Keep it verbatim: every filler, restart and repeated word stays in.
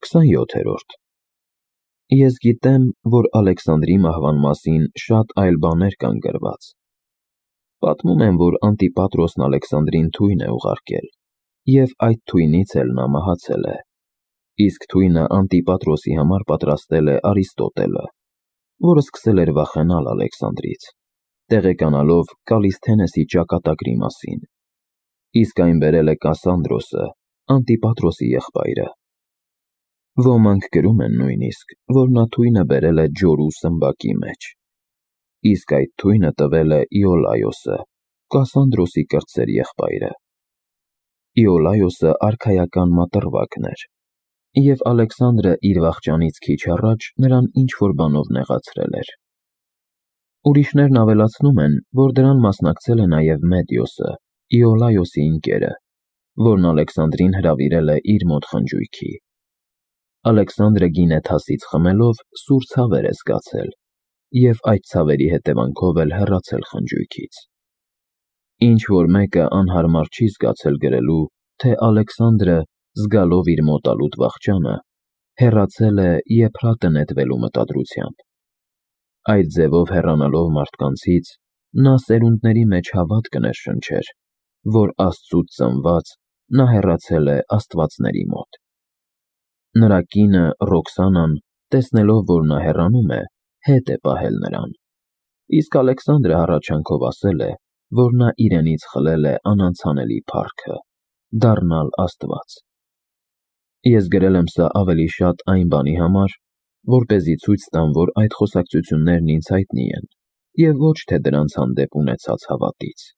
քսանյոթերորդ Ես գիտեմ, որ Ալեքսանդրի մահվան մասին շատ այլ բաներ կան գրված։ Պատմում են, որ Անտիպատրոսն Ալեքսանդրին թույն է ուղարկել, և այդ թույնից էլ նա մահացել է։ Իսկ թույնը Անտիպատրոսի համար պատրաստել է Արիստոտելը, որը սկսել էր վախենալ Ալեքսանդրից, տեղեկանալով Կալիսթենեսի ճակատագրի մասին։ Իսկ այն բերել է Կասանդրոսը, Անտիպատրոսի եղբայրը։ Ոմանք գրում են նույնիսկ, որ նա թույնը բերել է ջորու սմբակի մեջ։ Իսկ այդ թույնը տվել է Իոլայոսը, Կասանդրոսի կրտսեր եղբայրը։ Իոլայոսը արքայական մատռվակն էր, և Ալեքսանդրը իր վախճանից քիչ առաջ նրան ինչ-որ բանով նեղացրել էր։ Ուրիշներն ավելացնում են, որ դրան մասնակցել է նաև Մեդիոսը, Իոլայոսի ընկերը, որն Ալեքսանդրին հրավիրել է իր մոտ խնջույքի։ Ալեքսանդրը գինը թասից խմելով սուր ցավեր է զգացել և այդ ցավերի հետևանքով էլ հեռացել խնջույքից։ Ինչ-որ մեկը անհարմար չի զգացել գրելու, թե Ալեքսանդրը, զգալով իր մոտալուտ վախճանը, հեռացել է եփրատը նետվելու մտադրությամբ։ Այդ ձևով հեռանալով մարդկանցից, նա սերունդների մեջ հավատքը ներշնչեր, որ Աստծուց ծնված նա հեռացել է աստվածների մոտ։ Նրա կինը Ռոքսանան, տեսնելով, որ նա հեռանում է, հետ է պահել նրան, իսկ Ալեքսանդրը հառաչանքով ասել է, որ նա իրենից խլել է անանցանելի փառքը՝ դառնալ աստված։ Ես գրել եմ սա ավելի շատ այն բանի համար, որպեսզի ցույց տամ, որ այդ խոսակցություններն ինձ հայտնի են, և ոչ թե դրանց հանդեպ ունեցած հավատից։